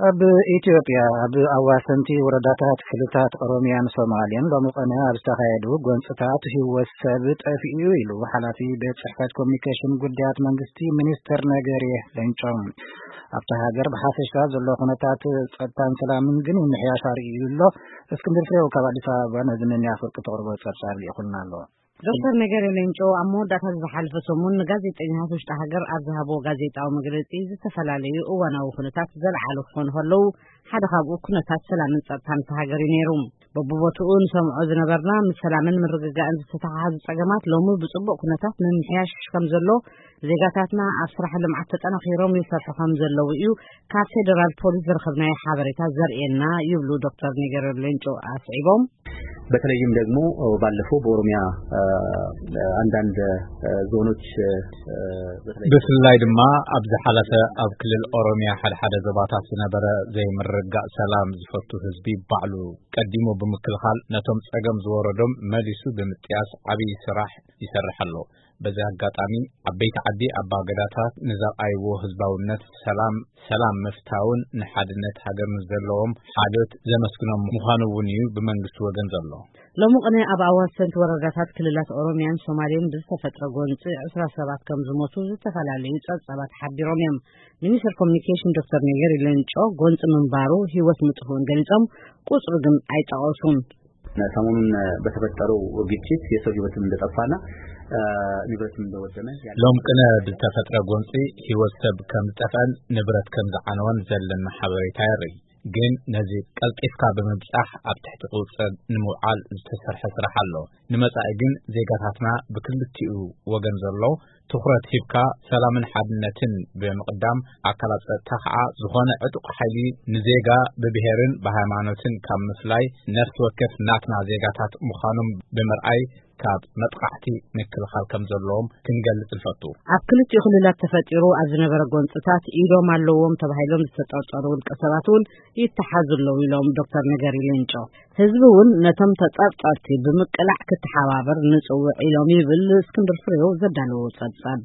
ኣብ ኢትዮጵያ ኣብ ኣዋሰንቲ ወረዳታት ክልታት ኦሮሚያን ሶማሌን ሎሚ ቀነ ኣብ ዝተኻየዱ ጎንፅታት ህይወት ሰብ ጠፊኡ ኢሉ ሓላፊ ቤት ፅሕፈት ኮሚኒኬሽን ጉዳያት መንግስቲ ሚኒስትር ነገሪ ሌንጮ። ኣብታ ሃገር ብሓፈሻ ዘሎ ኩነታት ጸጥታን ሰላምን ግን ምምሕያሽ ኣርእዩ ኣሎ። እስክንድር ፍሬው ካብ ኣዲስ ኣበባ ነዚ ነኒ ኣፈርቂ ተቕርቦ ጸብጻብ ልኢኹልና ኣሎ። ዶክተር ነገሪ ሌንጮ ኣብ መወዳእታ ዝሓለፈ ሰሙን ንጋዜጠኛታት ውሽጢ ሃገር ኣብ ዝሃብዎ ጋዜጣዊ መግለጺ፣ ዝተፈላለዩ እዋናዊ ኩነታት ዘለዓሉ ክኾኑ ከለዉ፣ ሓደ ካብኡ ኩነታት ሰላምን ጸጥታን እታ ሃገር እዩ ነይሩ። በብቦትኡ ንሰምዖ ዝነበርና፣ ምስ ሰላምን ምርግጋእን ዝተተሓሓዙ ጸገማት ሎሚ ብጽቡቕ ኩነታት ምምሕያሽ ከም ዘሎ፣ ዜጋታትና ኣብ ስራሕ ልምዓት ተጠናኺሮም ይሰርሑ ከም ዘለዉ እዩ ካብ ፌደራል ፖሊስ ዝረኸብናዮ ሓበሬታ ዘርእየና፣ ይብሉ ዶክተር ነገሪ ሌንጮ ኣስዒቦም። በተለይም ደግሞ ባለፈው በኦሮሚያ አንዳንድ ዞኖች፣ ብፍላይ ድማ ኣብ ዝሓለፈ ኣብ ክልል ኦሮሚያ ሓደ ሓደ ዞባታት ዝነበረ ዘይምርግጋእ፣ ሰላም ዝፈቱ ህዝቢ ባዕሉ ቀዲሙ ብምክልኻል፣ ነቶም ጸገም ዝወረዶም መሊሱ ብምጥያስ ዓብዪ ስራሕ ይሰርሕ ኣሎ። በዚ ኣጋጣሚ፣ ዓበይቲ ዓዲ ኣባገዳታት ንዘርኣይዎ ህዝባውነት፣ ሰላም፣ ሰላም ምፍታውን ንሓድነት ሃገርን ዘለዎም ሓልዮት ዘመስግኖም ምዃኑ እውን እዩ ብመንግስቲ ወገን ዘሎ። ሎሚ ቅነ ኣብ ኣዋሰንቲ ወረዳታት ክልላት ኦሮሚያን ሶማሌን ብዝተፈጥረ ጎንፂ ዕስራ ሰባት ከም ዝሞቱ ዝተፈላለዩ ጸብጻባት ሓቢሮም እዮም። ሚኒስትር ኮሚኒኬሽን ዶክተር ነገሪ ሌንጮ፣ ጎንፂ ምንባሩ ህይወት ምጥፍኡን ገሊጾም፣ ቁጽሩ ግን ኣይጠቐሱን። ሰሞኑን በተፈጠረው ግጭት የሰው ህይወትም እንደጠፋና ንብረትም እንደወደመ ሎም ቅነ ብዝተፈጥረ ጎንፂ ህይወት ሰብ ከም ዝጠፍአን ንብረት ከም ዝዓነወን ዘለና ሓበሬታ የርኢ። ግን ነዚ ቀልጢፍካ ብምብጻሕ ኣብ ትሕቲ ቁጽር ንምውዓል ዝተሰርሐ ስራሕ ኣሎ። ንመጻኢ ግን ዜጋታትና ብክልቲኡ ወገን ዘሎ ትኹረት ሂብካ ሰላምን ሓድነትን ብምቕዳም፣ ኣካላት ጸጥታ ከዓ ዝኾነ ዕጡቕ ሓይሊ ንዜጋ ብብሄርን ብሃይማኖትን ካብ ምፍላይ፣ ነፍሲ ወከፍ ናትና ዜጋታት ምዃኖም ብምርኣይ፣ ካብ መጥቃዕቲ ምክልኻል ከም ዘለዎም ክንገልጽ ንፈቱ። ኣብ ክልቲኡ ክልላት ተፈጢሩ ኣብ ዝነበረ ጎንጽታት ኢዶም ኣለዎም ተባሂሎም ዝተጠርጠሩ ውልቀ ሰባት እውን ይተሓዙ ኣለዉ ኢሎም ዶክተር ነገሪ ሌንጮ። ህዝቢ እውን ነቶም ተጠርጠርቲ ብምቅላዕ ክተሓባበር ንጽውዕ ኢሎም ይብል እስክንድር ፍሬው ዘዳለዎ ጸብጻብ።